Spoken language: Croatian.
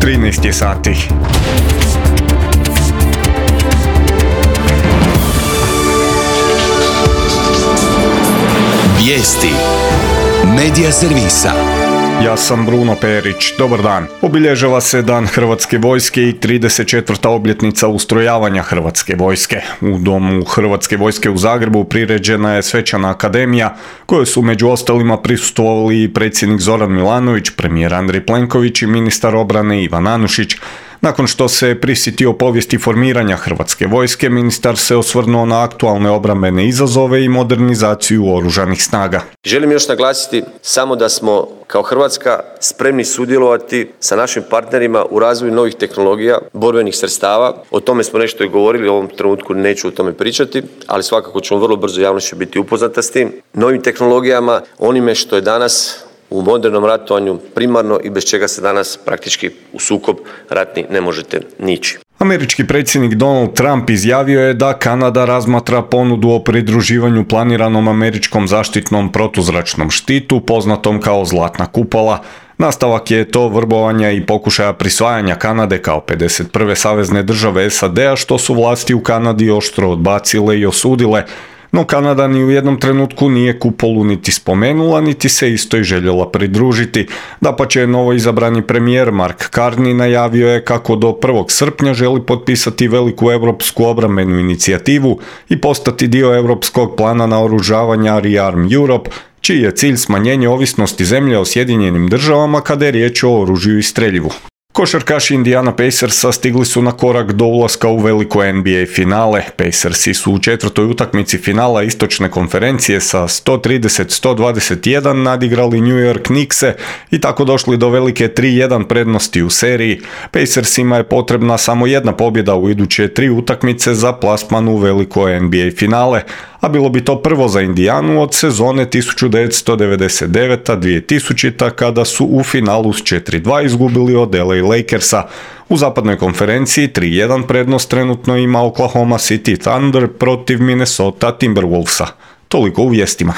13 je sati. Vijesti Medija servisa. Ja sam Bruno Perić, dobar dan. Obilježava se Dan Hrvatske vojske i 34. obljetnica ustrojavanja Hrvatske vojske. U Domu Hrvatske vojske u Zagrebu priređena je svečana akademija, kojoj su među ostalima prisustvovali i predsjednik Zoran Milanović, premijer Andrej Plenković i ministar obrane Ivan Anušić. Nakon što se prisjetio povijesti formiranja Hrvatske vojske, ministar se osvrnuo na aktualne obrambene izazove i modernizaciju oružanih snaga. Želim još naglasiti samo da smo kao Hrvatska spremni sudjelovati sa našim partnerima u razvoju novih tehnologija, borbenih sredstava. O tome smo nešto i govorili, u ovom trenutku neću o tome pričati, ali svakako ćemo vrlo brzo javnost će biti upoznata s tim. Novim tehnologijama, onime što je danas u modernom ratovanju primarno i bez čega se danas praktički u sukob ratni ne možete nići. Američki predsjednik Donald Trump izjavio je da Kanada razmatra ponudu o pridruživanju planiranom američkom zaštitnom protuzračnom štitu, poznatom kao Zlatna kupola. Nastavak je to vrbovanja i pokušaja prisvajanja Kanade kao 51. savezne države SAD-a, što su vlasti u Kanadi oštro odbacile i osudile. No Kanada ni u jednom trenutku nije kupolu niti spomenula, niti se istoj željela pridružiti. Dapače, novoizabrani premijer Mark Carney najavio je kako do 1. srpnja želi potpisati veliku europsku obrambenu inicijativu i postati dio europskog plana naoružavanja Rearm Europe, čiji je cilj smanjenje ovisnosti zemlje o Sjedinjenim državama kada je riječ o oružju i streljivu. Košarkaši Indiana Pacersa stigli su na korak do ulaska u veliko NBA finale. Pacersi su u 4. utakmici finala istočne konferencije sa 130-121 nadigrali New York Knickse i tako došli do velike 3-1 prednosti u seriji. Pacersima je potrebna samo jedna pobjeda u iduće 3 utakmice za plasman u veliko NBA finale, a bilo bi to prvo za Indijanu od sezone 1999-2000 kada su u finalu s 4-2 izgubili od LA Lakersa. U zapadnoj konferenciji 3-1 prednost trenutno ima Oklahoma City Thunder protiv Minnesota Timberwolvesa. Toliko u vijestima.